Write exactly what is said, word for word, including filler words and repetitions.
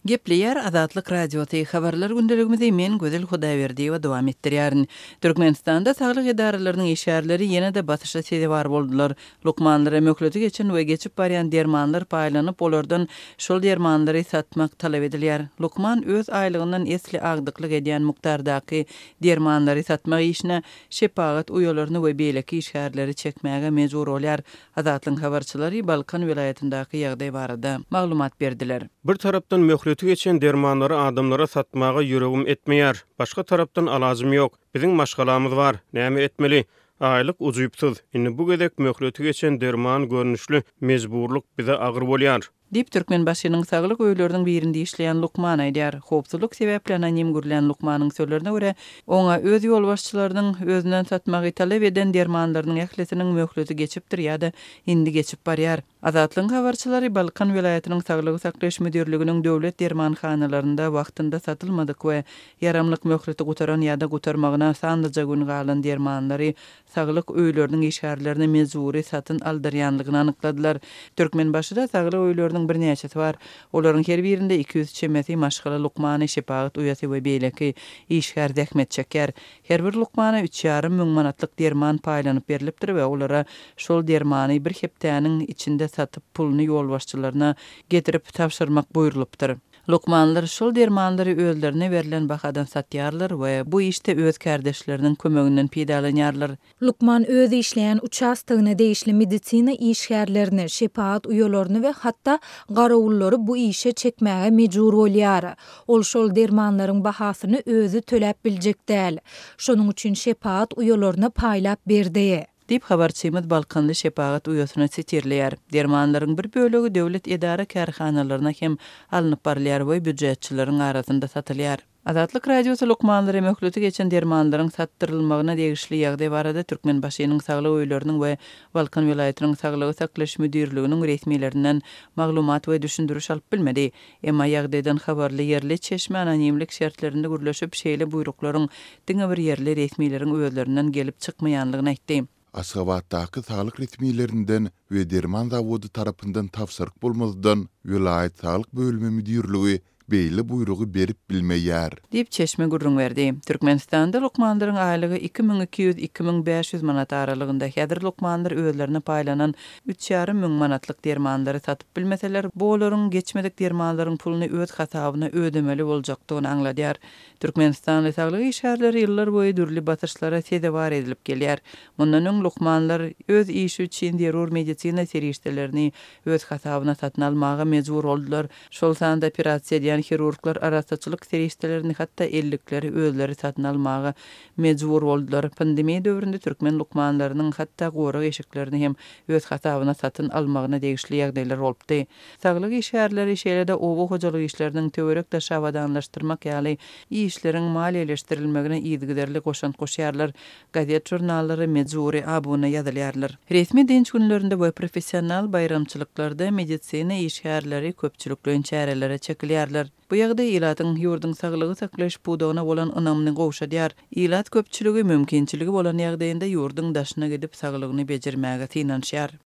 Gepleýär Azatlyk Radiosy, Habarlar gündeligimizi men Gözel Hudaýberdiýewa dowam etdirýärin. Türkmenistanda saglyk edaralarynyň işgärleri ýene-de basyşa sezewar boldular. Lukmanlara möhleti geçen we geçip barýan dermanlar paýlanyp, olardan şol dermanlary satmak talap edilýär. Lukman öz aýlygyndan esli agdyklyk edýän mukdardaky dermanlary satmak işine şepagat uýalaryny we beýleki işgärleri çekmäge mejbur bolýar. Azatlygyň habarçylary Balkan welaýatyndaky ýagdaý barada maglumat berdiler. Bir tarapdan möhleti geçen dermanlary adamlara satmaga ýüregim etmeýär. Başga tarapdan alajym ýok. Biziň maşgalamyz bar. Näme etmeli? Aýlyk ujypsyz. Indi bu gezek möhleti geçen derman görnüşli mejburlyk bize agyr bolýar. Diýip, Türkmenbaşynyň saglyk öýleriniň birinde işleýän lukman aýdýar. Howpsuzlyk sebäpli anonim gürlän lukmanyň sözlerine görä, oňa öz ýolbaşçylarynyň özünden satmagy talap eden dermanlarynyň ählisiniň möhleti geçipdir ýa-da indi geçip barýar. Azatlygyň habarçylary Balkan welaýatynyň saglygy saklaýyş müdirliginiň döwlet dermanhanalarynda wagtynda satylmadyk we ýaramlyk möhleti gutaran ýa-da gutarmagyna sanlyja gün galan dermanlary saglyk öýleriniň işgärlerine mejbury satyn aldyrýanlygyny anykladylar. Türkmenbaşyda saglyk öýleriniň birnäçesi bar. Olaryň her birinde iki ýüz çemesi maşgala lukmany, şepagat uýasy we beýleki işgär zähmet çekýär. Her bir lukmana üç ýarym müň manatlyk derman paýlanyp berlipdir we olara şol dermany bir hepdäniň içinde satyp puluny ýolbaşçylaryna getirip tabşyrmak buýrulypdyr. Lukmanlar şol dermanlary özlerine berlen bahadan satýarlar we bu işde öz kärdeşleriniň kömeginden peýdalanýarlar. Lukman öz işleýän uçastogyna degişli medisina işgärlerini, şepagat uýalaryny we hatda garawullary bu işe çekmäge mejbur bolýar. Ol şol dermanlaryň bahasyny özi töläp biljek däl. Şonuň üçin şepagat uýalaryna paýlap berdi. Diýip, habarçymyz Balkanly şepagat uýasyny sitirleýär. Dermanlaryň bir bölegi döwlet edara kärhanalaryna hem alnyp barylýar we býujetçileriň arasynda satylýar. Azatlyk Radiosy lukmanlara möhleti geçen dermanlaryň satdyrylmagyna degişli ýagdaý barada Türkmenbaşynyň saglyk öýleriniň we Balkan welaýatynyň saglygy saklaýyş müdirliginiň resmilerinden maglumat we düşündiriş alyp bilmedi. Emma ýagdaýdan habarly ýerli çeşme anonimlik şertlerinde gürleşip, şeýle buýruklaryň diňe bir ýerli resmileriň özlerinden gelip çykmaýanlygyny aýtdy. Aşgabatdaky saglyk resmilerinden we derman zawody tarapyndan tabşyryk bolmazdan, welaýat saglyk bölümi müdirligi beýle buýrugy berip bilmeýär. Diýip, çeşme gürrüň berdi. Türkmenistanda lukmanlaryň aýlygy iki müň iki ýüz, iki müň bäş ýüz manat aralygynda. Häzir lukmanlar özlerine paýlanan üç ýarym müň manatlyk dermanlary satyp bilmeseler, bu olaryň geçmedik dermanlaryň puluny öz hasabyna ödemeli boljakdygyny aňladýar. Türkmenistanly saglyk işgärleri ýyllar boýy dürli basyşlara sezewar edilip gelýär. Mundan öň lukmanlar öz işi üçin zerur medisina serişdelerini öz hasabyna satyn almaga mejbur boldular. Şol sanda operasiýa edýän hirurglar arassaçylyk serişdelerini, hatda ellikleri özleri satyn almaga mejbur boldular. Pandemiýa döwründe türkmen lukmanlarynyň hatda gorag eşiklerini hem öz hasabyna satyn almagyna degişli ýagdaýlar bolupdy. Saglyk işgärleri şeýle-de oba hojalyk işleriniň töwerek-daş abadanlaşdyrmak ýaly işleriň maliýeleşdirilmegine yzygiderli goşant goşýarlar. Gazet-žurnallara mejbury abuna ýazylýarlar. Resmi dynç günlerinde we professional baýramçylyklarda medisina işgärleri köpçülikleýin çärelere çekilýärler. Bu ýagdaý ilatyň ýurduň saglygy saklaýyş pudagyna bolan ynamyny gowşadýar. Ilat köpçüligi mümkinçiligi bolan ýagdaýynda ýurduň daşyna gidip saglygyny bejermäge synanyşýar.